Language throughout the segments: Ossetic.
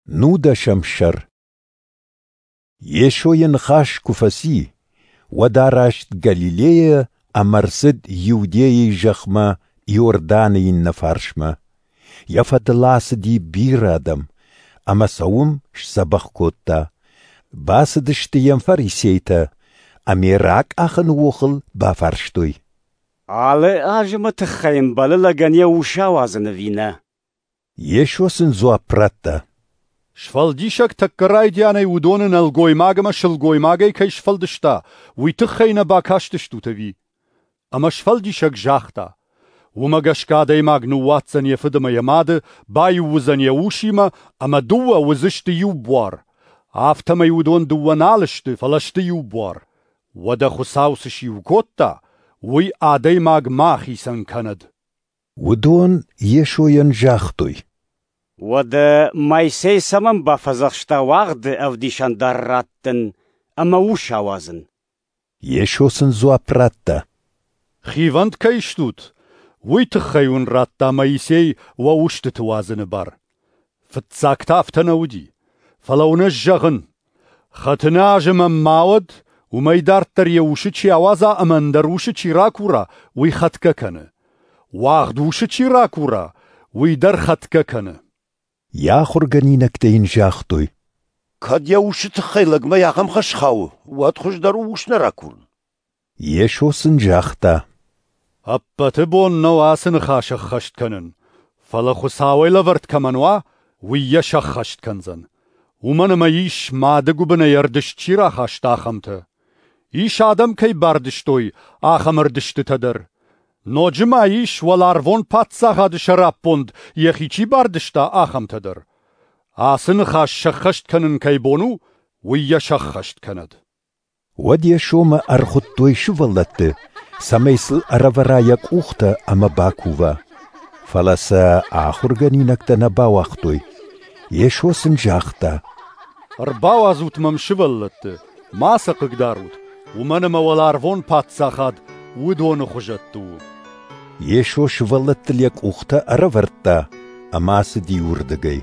Нудӕсӕм сӕр. Йесо йӕ ныхас куы фӕци, уӕд араст Галилейӕ ӕмӕ ӕрцыд Иудейы зӕхмӕ Иорданы иннӕ фарсмӕ. Йӕ фӕдыл ацыди бирӕ адӕм, ӕмӕ сӕ уым сдзӕбӕх кодта. Бацыдысты йӕм фарисейтӕ ӕмӕ йӕ ракъахыны охыл бафарстой: Алы азымы тыххӕй ӕмбӕлы лӕгӕн йӕ ус ауадзын ӕви нӕ? Йесо сын дзуапп радта: Сфӕлдисӕг тӕккӕ райдианӕй уыдоны нӕлгоймаг ӕмӕ сылгоймагӕй кӕй сфӕлдыста, уый тыххӕй нӕ бакастыстут ӕви? Ӕмӕ Сфӕлдисӕг загъта: Уымӕ гӕсгӕ адӕймаг ныууадздзӕн йӕ фыд ӕмӕ йӕ мады, баиу уыдзӕн йӕ усимӕ, ӕмӕ дыууӕ уыдзысты иу буар. Афтӕмӕй уыдон дыууӕ нал сты, фӕлӕ сты иу буар. Уӕдӕ Хуыцау цы сиу кодта, уый адӕймаг ма ахицӕн кӕнӕд. Уыдон Йесойӕн загътой: Уӕдӕ Моисей цӕмӕн бафӕдзӕхста уагъды ӕвдисӕндар раттын ӕмӕ ус ауадзын? Йесо сын дзуапп радта: Хивӕнд кӕй стут, уый тыххӕй уын радта Моисей уӕ устыты уадзыны бар. Фыццаг та афтӕ нӕ уыди. Фӕлӕ уын ӕз зӕгъын: хӕтыны азы мӕм ма уӕд, уымӕй дарддӕр йӕ усы чи ауадза ӕмӕ ӕндӕр усы чи ракура, уый хӕтгӕ кӕны. Уагъд усы чи ракура, уый дӕр хӕтгӕ кӕны. Йӕ ахуыргӕнинӕгтӕ йын загътой: Кӕд йӕ усы тыххӕй лӕгмӕ ахӕм хӕс хауы, уӕд хуыздӕр у ус нӕ ракурын. Йесо сын загъта: Ӕппӕты бон нӕу ацы ныхас ӕххӕст кӕнын, фӕлӕ Хуыцауӕй лӕвӕрд кӕмӕн уа, уый йӕ сӕххӕст кӕндзӕн. Уымӕн ӕмӕ ис, мады гуыбынӕй ӕрдызт чи рахаста, ахӕмтӕ. Ис, адӕм кӕй бардызтой, ахӕм ӕрдызтытӕ дӕр. Ноджы ма ис, уӕларвон паддзахады сӕраппонд йӕхи чи бардызта, ахӕмтӕ дӕр. Ацы ныхас сӕххӕст кӕнын кӕй бон у, уый йӕ сӕххӕст кӕнӕд. Уӕд Йесомӕ ӕрхуыдтой сывӕллӕтты, цӕмӕй сыл ӕрӕвӕра йӕ къухтӕ ӕмӕ бакува. Фӕлӕ сӕ ахуыргӕнинӕгтӕ нӕ бауагътой. Йесо сын загъта: Ӕрбауадзут мӕм сывӕллӕтты, ма сӕ хъыгдарут, уымӕн ӕмӕ уӕларвон паддзахад уыдоны хуызӕтты у. Йесо сывӕллӕттыл йӕ къухтӕ ӕрӕвӕрдта ӕмӕ ацыди уырдыгӕй.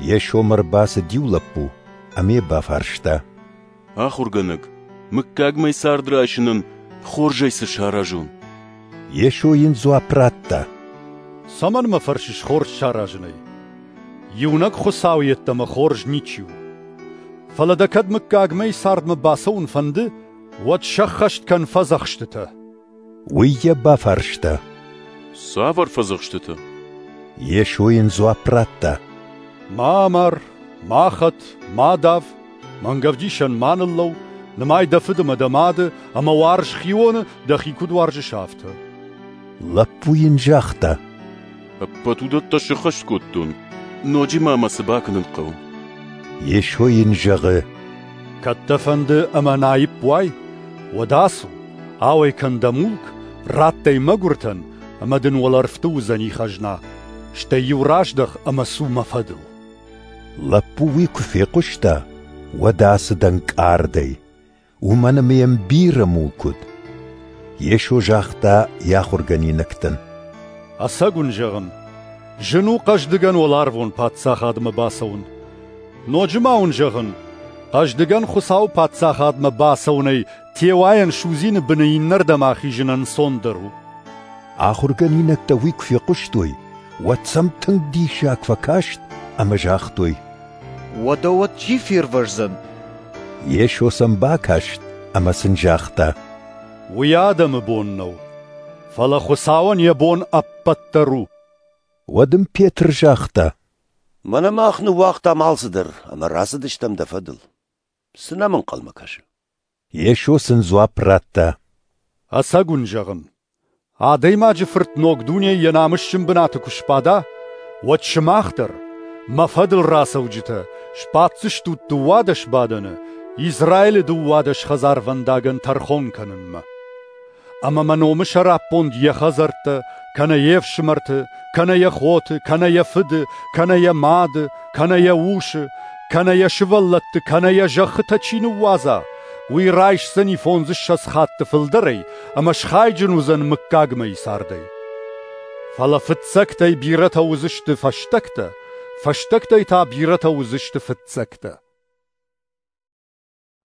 Йесомӕ ӕрбацыд иу лӕппу ӕмӕ йӕ бафарста: Ахуыргӕнӕг, мыггагмӕ цард райсынӕн хорзӕй цы саразон? Йесо йын дзуапп радта: Цӕмӕн мӕ фӕрсыс хорз саразынӕй? Иунӕг Хуыцау йеддӕмӕ хорз ничи у. Фӕлӕ дӕ кӕд мыггагмӕйы цардмӕ бацӕуын фӕнды, уӕд сӕххӕст кӕн фӕдзӕхстытӕ. Уый йӕ бафарста: Цавӕр фӕдзӕхстытӕ? Йесо йын дзуапп радта: Ма амар, ма хӕт, ма дав, мӕнгӕвдисӕн ма ныллӕу, нымай дӕ фыд ӕмӕ дӕ мады, ӕмӕ уарз хионы, дӕхи куыд уарзыс, афтӕ. Лӕппу йын загъта: Ӕппӕт уыдӕттӕ сӕххӕст кодтон, ноджы ма мӕ цы бакӕнын хъӕуы? Йесо йын зӕгъы: Кӕд дӕ фӕнды ӕмӕ наипп уай, уӕд ацу, ауӕй кӕн дӕ мулк, ратт ӕй мӕгуыртӕн, ӕмӕ дын уӕлӕрвты уыдзӕни хӕзна. Стӕй-иу раздӕх ӕмӕ цу мӕ фӕдыл. Лӕппу уый куы фехъуыста, уӕд ацыд ӕнкъардӕй, уымӕн ӕмӕ йӕм бирӕ мулк уыд. Йесо загъта йӕ ахуыргӕнинӕгтӕн: Ӕцӕг уын зӕгъын, зын у хъӕздыгӕн уӕларвон паддзахадмӕ бацӕуын. Ноджы ма уын зӕгъын, хъӕздыгӕн Хуыцауы паддзахадмӕ бацӕуынӕй теуайӕн судзины быны иннӕрдӕм ахизын ӕнцондӕр у. Ахуыргӕнинӕгтӕ уый куы фехъуыстой, уӕд сӕм тынг диссаг фӕкаст ӕмӕ загътой: Уӕдӕ уӕд чи фервӕздзӕн? Йесо сӕм бакаст ӕмӕ сын загъта: Уый адӕмы бон нӕу, фӕлӕ Хуыцауӕн йӕ бон ӕппӕт дӕр у. Уӕд ын Петр загъта: Мӕнӕ мах ныууагътам алцыдӕр ӕмӕ рацыдыстӕм дӕ фӕдыл. Цы нӕм ӕнхъӕлмӕ кӕсы? Йесо сын дзуапп радта: Ӕцӕг уын зӕгъын, Адӕймаджы Фырт ног дунейы йӕ намысджын бынаты куы сбада, уӕд сымах дӕр, мӕ фӕдыл рацӕуджытӕ, сбаддзыстут 12 бадӕны Израилы 12 хӕдзарвӕндагӕн тӕрхон кӕнынмӕ. Ӕмӕ мӕ номы сӕраппонд йӕ хӕдзӕрттӕ, кӕнӕ йе фсымӕрты, кӕнӕ йӕ хоты, кӕнӕ йӕ фыды, кӕнӕ йӕ мады, кӕнӕ йӕ усы, кӕнӕ йӕ сывӕллӕтты, кӕнӕ йӕ зӕххытӕ чи ныууадза, уый райсдзӕни 25 хатты фылдӕрӕй ӕмӕ схайджын уыдзӕн мыггагмӕйы цардӕй. Фӕлӕ фыццӕгтӕй бирӕтӕ уыдзысты фӕстӕгтӕ, Фӕстӕгтӕй та бирӕтӕ уыдзысты фыццӕгтӕ.